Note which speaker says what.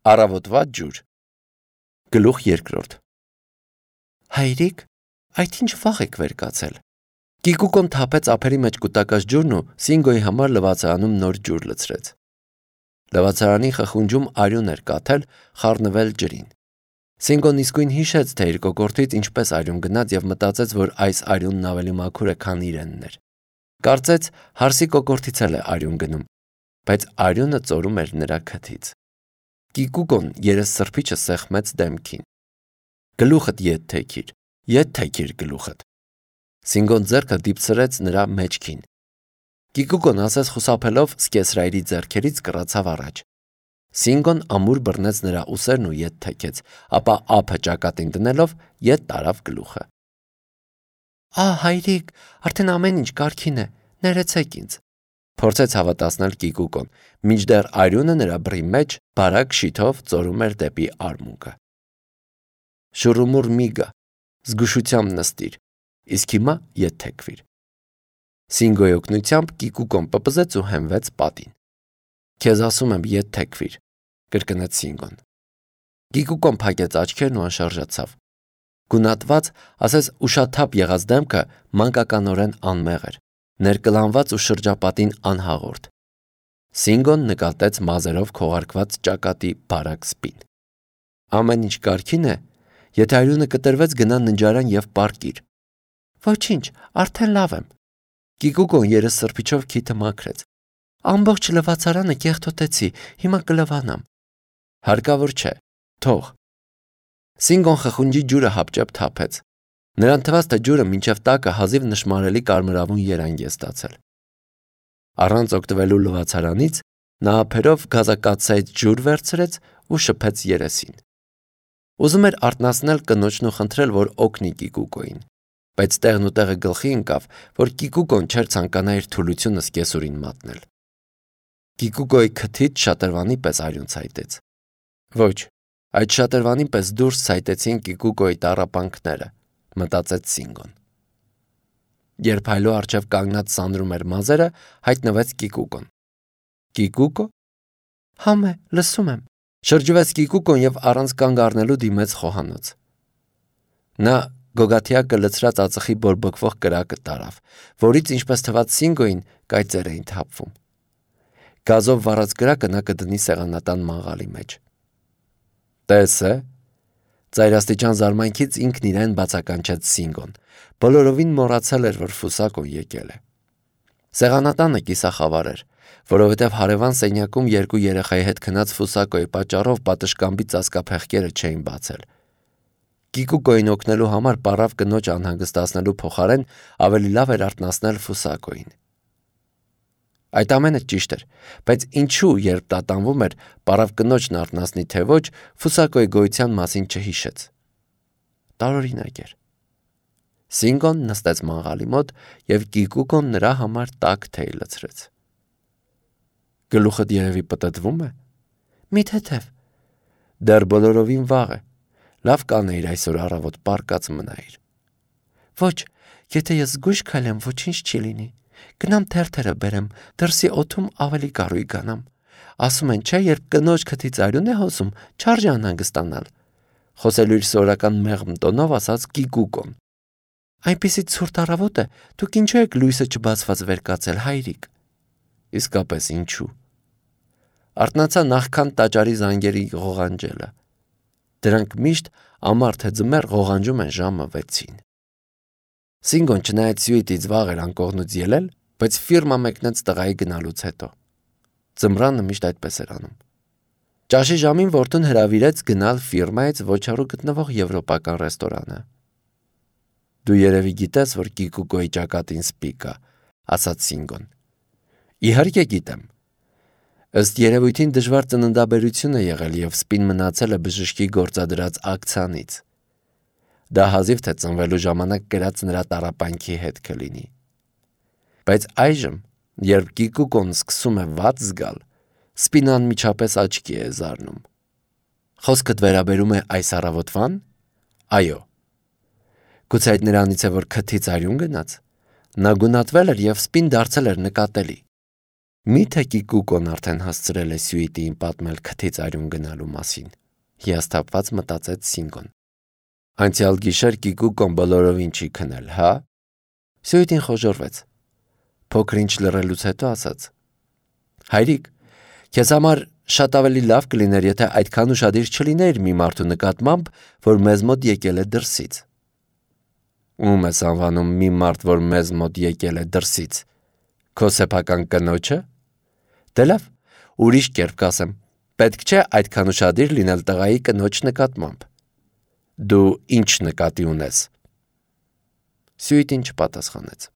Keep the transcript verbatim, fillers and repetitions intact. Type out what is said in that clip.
Speaker 1: Առավոտվա ջուր։ Գլուխ երկրորդ։ Հայրիկ, այդ ինչ վաղ եք վեր կացել։ Կիկուկոն թափեց ափերի մեջ կուտակած ջուրն ու Սինգոյի համար լվացարանում նոր ջուր լցրեց։ Լվացարանի խխունջում արյուն էր կաթել, խառնվել ջրին։ Սինգոն իսկույն հիշեց, թե իր կոկորդից ինչպես արյուն գնաց և մտածեց, որ այս արյունն ավելի մաքուր է, քան իրենն էր։ Կարծեց հարսի կոկորդից էլ է արյուն գնում, բայց արյունը ծորում էր նրա քթից։ Կիկուկոն երեսսրբիչը սեղմեց դեմքին։ Գլուխդ ետ թեքիր, ետ թեքիր գլուխդ։ Սինգոն ձեռքը դիպցրեց նրա մեջքին։ Կիկուկոն ասես խուսափելով սկեսրայրի ձեռքերից կռացավ առաջ։ Սինգոն ամուր բռնեց նրա ուսերն ու ետ թեքեց, ապա ափը ճակատին դնելով ետ տարավ գլուխը։ Ահ, հայրիկ, արդեն ամեն ինչ կարգին է, ներեցեք ինձ։ Փորձեց հավատացնել Կիկուկոն, մինչդեռ արյունը նրա բռի մեջ բարակ շիթով ծորում էր դեպի արմունկը։ Շուռումուռ մի գա, զգուշությամբ նստիր, իսկ հիմա ետ թեքվիր։ Սինգոյի օգնությամբ Կիկուկոն պպզեց ու հենվեց պատին։ Քեզ ասում եմ ետ թեքվիր, կրկնեց Սինգոն։ Կիկուկոն փակեց աչքերն ու անշարժացավ։ Գունատված, ասես ուշաթափ եղած դեմքը մանկականորեն անմեղ էր, ներկլանված ու շրջապատին անհաղորդ։ Սինգոն նկատեց մազերով քողարկված ճակատի բարակ սպին։ Ամեն ինչ կարգին է, եթե արյունը կտրվեց, գնա ննջարան և պառկիր։ Ոչինչ, արդեն լավ եմ։ Կիկուկոն երեսսրբիչով քիթը մաքրեց։ Ամբողջ լվացարանը կեղտոտեցի, հիմա կլվանամ։ Հարկավոր չէ, թող։ Սինգոն խխունջի ջուրը հապճեպ թափեց։ Նրան թվաց, թե ջուրը մինչև տակը հազիվ նշմարելի կարմրավուն երանգ է ստացել։ Առանց օգտվելու լվացարանից նա ափերով գազակաթսայից ջուր վերցրեց ու շփեց երեսին։ Ուզում էր արթնացնել կնոջն ու խնդրել, որ օգնի Կիկուկոյին, բայց տեղն ու տեղը գլխի ընկավ, որ Կիկուկոն չէր ցանկանա իր թուլությունը սկեսուրին մատնել։ Կիկուկոյի քթից շատրվանի պես արյուն ցայտեց։ Ոչ, այդ շատրվանի պես դուրս ցայտեցին Կիկուկոյի տառապանքները, մտածեց Սինգոն։ Երբ հայլու առջև կանգնած սանրում էր մազերը, հայտնվեց Կիկուկոն։ Կիկուկո։ Համե, լսում եմ։ Շրջվեց Կիկուկոն և առանց կանգ առնելու դիմեց խոհանոց։ Նա գոգաթյակը լցրած ածխի բորբոքվող կրակը տարավ, որից, ինչպես թվաց Սինգոյին, կայծեր էին թափվում։ Գազով վառած կրակը նա կդնի սեղանատան մաղալի մեջ։ Տես է։ Ծայրաստիճան զարմանքից ինքն իրեն բացականչեց Սինգոն։ Բոլորովին մոռացել էր, որ Ֆուսակոն եկել է։ Սեղանատանը կիսախավար էր, որովհետև հարևան սենյակում երկու երեխայի հետ քնած Ֆուսակոյի պատճառով պատշգամբի ծածկափեղկերը չէին բացել։ Կիկուկոյին օգնելու համար պառավ կնոջ անհանգստացնելու փոխարեն ավելի լավ էր արթնացնել Ֆուսակոյին։ Այդ ամենը ճիշտ էր, բայց ինչու, երբ տատանվում էր, պառավ կնոջն արթնացնի թե ոչ, Ֆուսակոյի գոյության մասին չհիշեց։ Տարօրինակ էր։ Սինգոն նստեց մաղալի մոտ և Կիկուկոն նրա համար տաք թեյ լցրեց։ Գլուխդ երևի պտտվում է։ Մի թեթև։ Դեռ բոլորովին վաղ է։ Լավ կանեիր այսօր առավոտ պառկած մնայիր։ Ոչ, եթե ես զգույշ քայլեմ, ոչինչ չի լինի։ Գնամ թերթերը բերեմ, դրսի օդում ավելի կառույկանամ։ Ասում են, չէ, երբ կնոջ քթից արյուն է հոսում, չարժե անհանգստանալ։ Խոսելու իր սովորական մեղմ տոնով ասաց Կիկուկոն։ Այնպիսի ցուրտ առավոտ է, դուք ինչու եք լույսը չբացված վեր կացել, հայրիկ։ Իսկապես ինչու։ Արթնացա նախքան տաճարի զանգերի ղողանջելը։ Դրանք միշտ ամառ թե ձմեռ ղողանջում են ժամը վեցին։ Սինգոն չնայած սյուիտից վաղ էր անկողնուց ելել, բայց ֆիրմա մեկնեց տղայի գնալուց հետո։ Ձմռանը միշտ այդպես էր անում։ Ճաշի ժամին որդուն հրավիրեց գնալ ֆիրմայից ոչառու գտնվող եվրոպական ռեստորանը։ Դու երևի գիտես, որ Կիկուկոյի ճակատին սպի կա, ասաց Սինգոն։ Իհարկե գիտեմ։ Ըստ երևույթին դժվար ծննդաբերություն է եղել և սպին մնացել է բժշկի գործադրած ակցիանից։ Դա հազիվ թե ծնվելու ժամանակ կրած նրա տառապանքի հետ կլինի։ Բայց այժմ, երբ Կիկուկոն սկսում է վատ զգալ, սպին անմիջապես աչքի է զարնում։ Խոսքդ վերաբերում է այս առավոտվան։ Այո։ Գուցե այդ նրանից է, որ քթից արյուն գնաց։ Նա գունատվել էր և սպին դարձել էր նկատելի։ Միթե Կիկուկոն արդեն հասցրել է Սյուիտիին պատմել քթից արյուն գնալու մասին, հիասթափված մտածեց Սինգոն։ Անցյալ գիշեր Կիկուկոն բոլորովին չի քնել, հա։ Սյուիտին խոժոռվեց։ Փոքր ինչ լռելուց հետո ասաց. Հայրիկ, քեզ համար շատ ավելի լավ կլիներ, եթե այդքան ուշադիր չլիներ մի մարդու նկատմամբ, որ մեզ մոտ եկել է դրսից։ Ում ես անվանում մի մարդ, որ մեզ մոտ եկել է դրսից։ Քո սեփական կնոջը։ Դե լավ, ուրիշ կերպ կասեմ, պետք չէ այդքան ուշադիր լինել տղայի կնոջ նկատմամբ։ Դու ինչ նկատի ունես։ Սյուիտին չպատասխանեց։